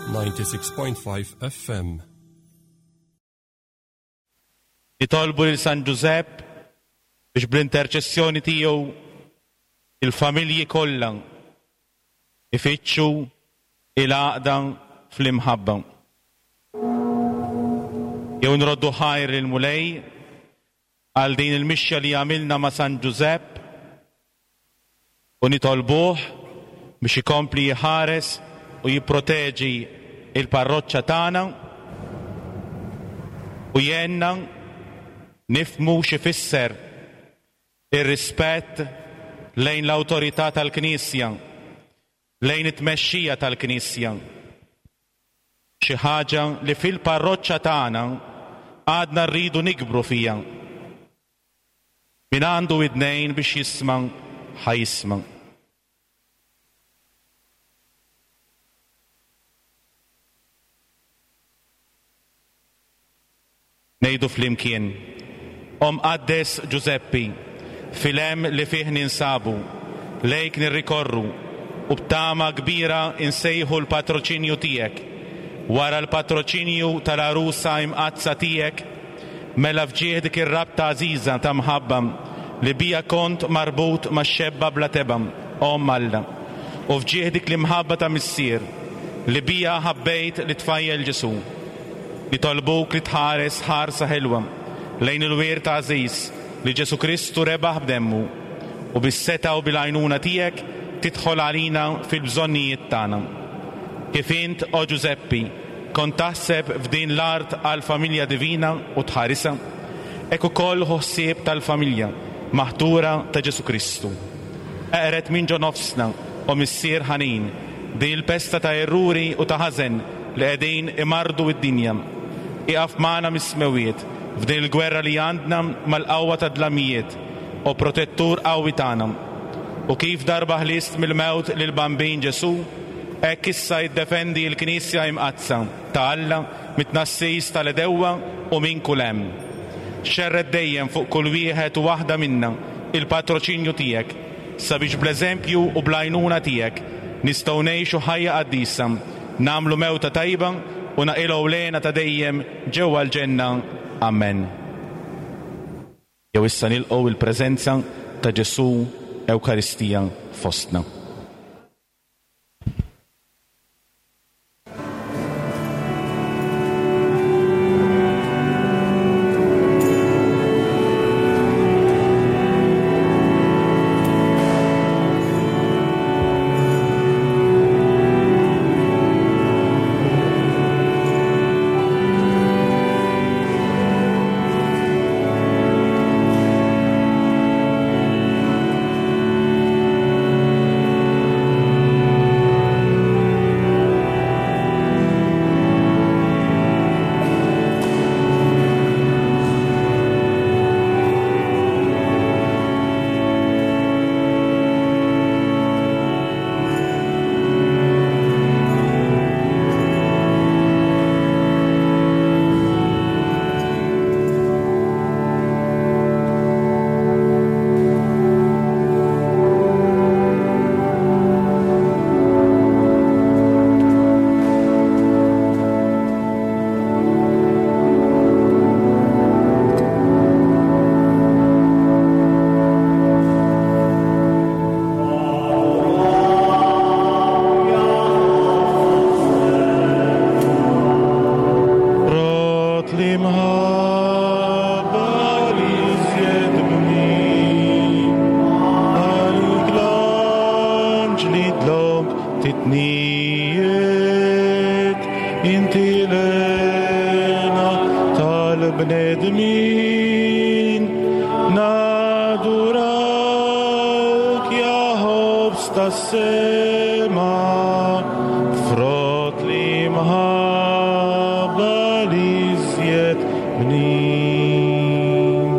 96.5 FM. Nitolbu lil San Ġużepp biex bl-interċessjoni tiegħu il-familji kollha ifittxu il-għaqda fl-imħabba. Jew nroddu ħajr lill-Mulej għal din il-mixja li għamilna ma' San Ġużepp u nitolbuh biex ikompli jħares u jipproteġi l-parroċċa tagħna u jgħinna nifhmu x'ifisser ir-rispett lejn l-awtorità tal-Knisja, lejn it-tmexxija tal-Knisja. Xi ħaġa li fil-parroċċa tagħna għadna rridu nikbru fiha. Min għandu widnejn biex jisma' ħa jisma'. Ngħidu flimkien, O Mqaddes Ġużeppi, fil-hemm li fih ninsabu, lejk nirrikorru u b'tama kbira nsejħu l-patroċinju tiegħek. Wara l-patroċinju tal-Għarusa Imqaddsa tiegħek, mela f'ġieħ dik ir-rabta għażiża ta' mħabba li biha kont marbut max-xebba bla tebgħa, Omm Alla, u f'ġieħ dik l-imħabba ta' Missier li biha ħabbejt lit-tfajjel Ġesù, Nitolbuk li tħares ħarsa ħelwa lejn il-wirt għażiż li Ġesù Kristu rebaħ b'demmu, u bis-setgħa u bil-għajnuna tiegħek tidħol għalina fil-bżonnijiet tagħna. Kif int, o Ġużeppi, kont taħseb f'din l-art għall-familja divina u tħarisha, hekk ukoll ħu ħsieb tal-familja maħtura ta' Ġesù Kristu. Eqred minn ġo nofsna, o Missier ħanin, din il-pesta ta' erruri u ta' ħażen li qegħdin imarrdu d-dinja. Ieqaf magħna mis-smewwiet f'din il-gwerra li għandna mal-qawwa tad-dlamijiet, o Protettur qawwi tagħna. U kif darba ħlist mill-mewt lill-Bambin Ġesù, hekk issa iddefendi l-Knisja Imqaddsa ta' Alla mit-tnassis tal-għedewwa u minn kull hemm. Xerred dejjem fuq kull wieħed u waħda minna l-patroċinju tiegħek, sabiex bl-eżempju u bl-għajnuna tiegħek nistgħu ngħixu ħajja qaddisa, nagħmlu mewta tajba u naqilgħu l-hena ta' dejjem ġewwa l-ġenna. Ammen. Jew issa nilqgħu l-preżenza ta' Ġesù Ewkaristija fostna. Frott l-imħabba li żjed bnin, għalik l-anġli dlonk titnijiet, inti l-hena tal-bnedmin, nadurawk ja ħobż tas-sema, frott l-imħabba li żjed bnin.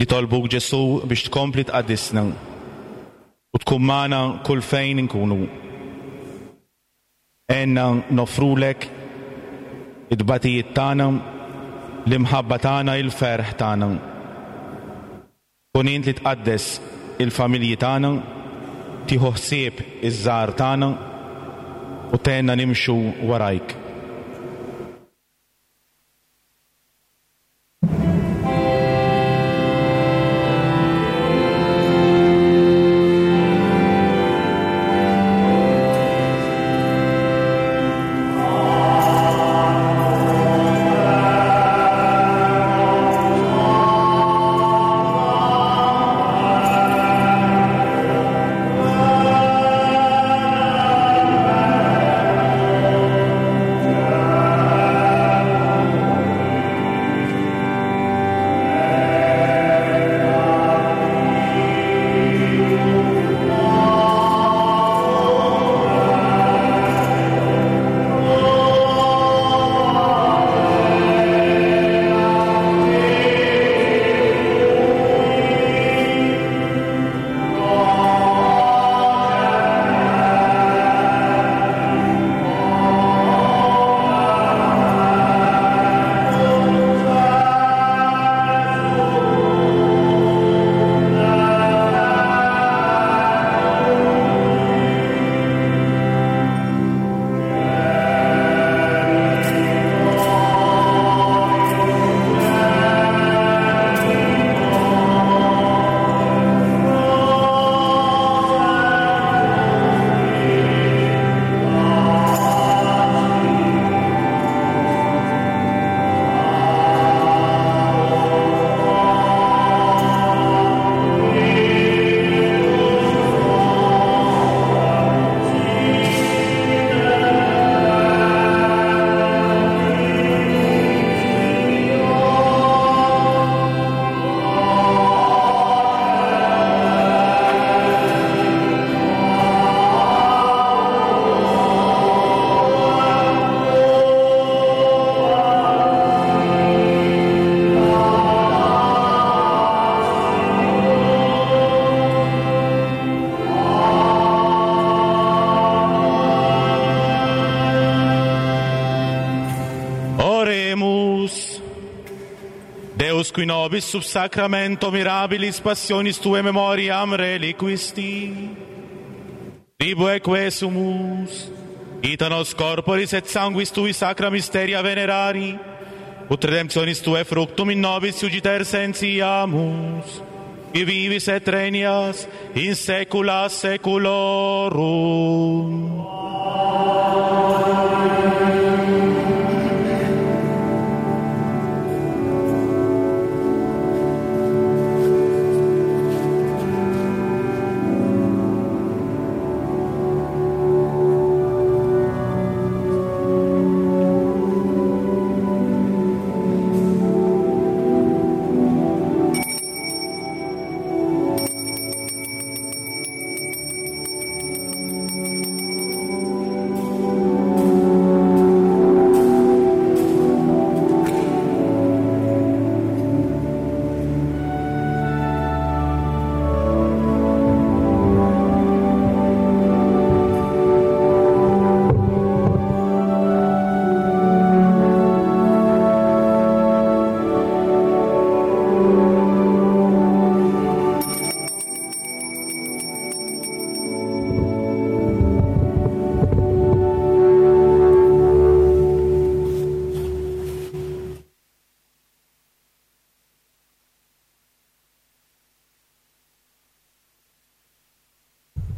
Nitolbuk Ġesù biex tkompli tqaddisna u tkun magħna kull fejn inkunu. Għinna noffrulek it-tbatijiet tagħna, l-imħabba tagħna, il-ferħ tagħna. Kun int li tqaddes il-familji tagħna, tieħu ħsieb iż-żgħar tagħna. u tgħinna nimxu warajk. Oremus. Deus qui nobis sub sacramento mirabilis passionis tue memoriam reliquisti, tribueque sumus, ita nos corporis et sanguis tui sacra mysteria venerari, ut redemptionis tue fructum in nobis iugiter sentiamus, qui vivis et regnas in saecula saeculorum.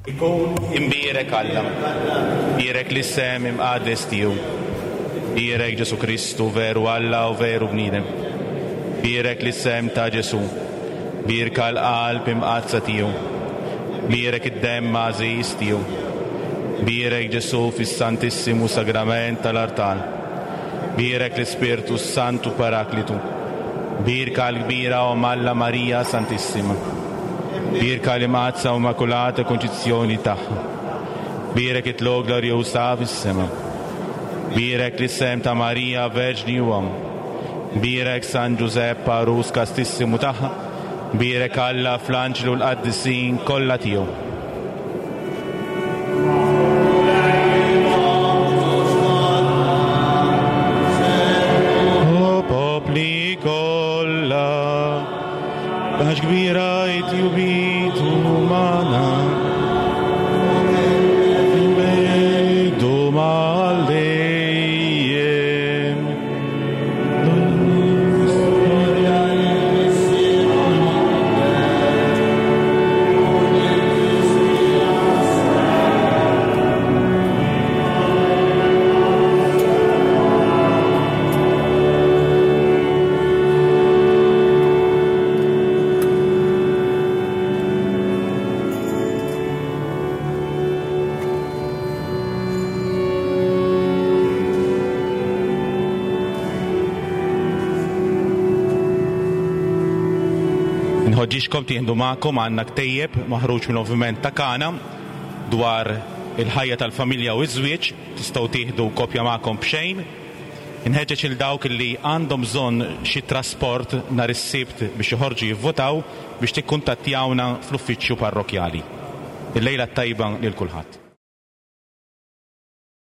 Ikun imbierek Alla, bierek l-isem imqades tiegħu, bierek Ġesu Kristu veru Alla u veru bniedem, bierek l-isem ta' Ġesu, bierka l-qalb imqadsa tiegħu, bierek id-demm għażiż tiegħu, bierek Ġesu fis-Santissimu Sagrament tal-Artal, bierek l-Ispirtu Santu Paraklitu, bierka l-kbira Omm Alla Marija Santissima, bierka l-Imqaddsa u Immakulata Konċizzjoni tagħha, bierek it-tlugħ glorjuż fis-sema, bierek l-isem ta' Marija Verġni u Omm, bierek San Ġużepp għarus kastissimu tagħha, bierek Alla fl-anġli u l-qaddisin kollha tiegħu. O popli kollha, paċ kbira it-jubitu magħna. Bejdu magħna. Inħoġġiġkom tieħdu magħkom għandna ktejjeb maħruġ mill-Moviment ta' Kana dwar il-ħajja tal-familja u ż-żwieġ, tistgħu tieħdu kopja magħkom b'xejn. Inħeġġeġ 'il dawk li għandhom bżonn xi trasport nhar is-Sibt biex joħorġu jivvutaw biex tikkuntattjawna fl-uffiċċju parrokkjali. Il-lejla t-tajba lil kulħadd.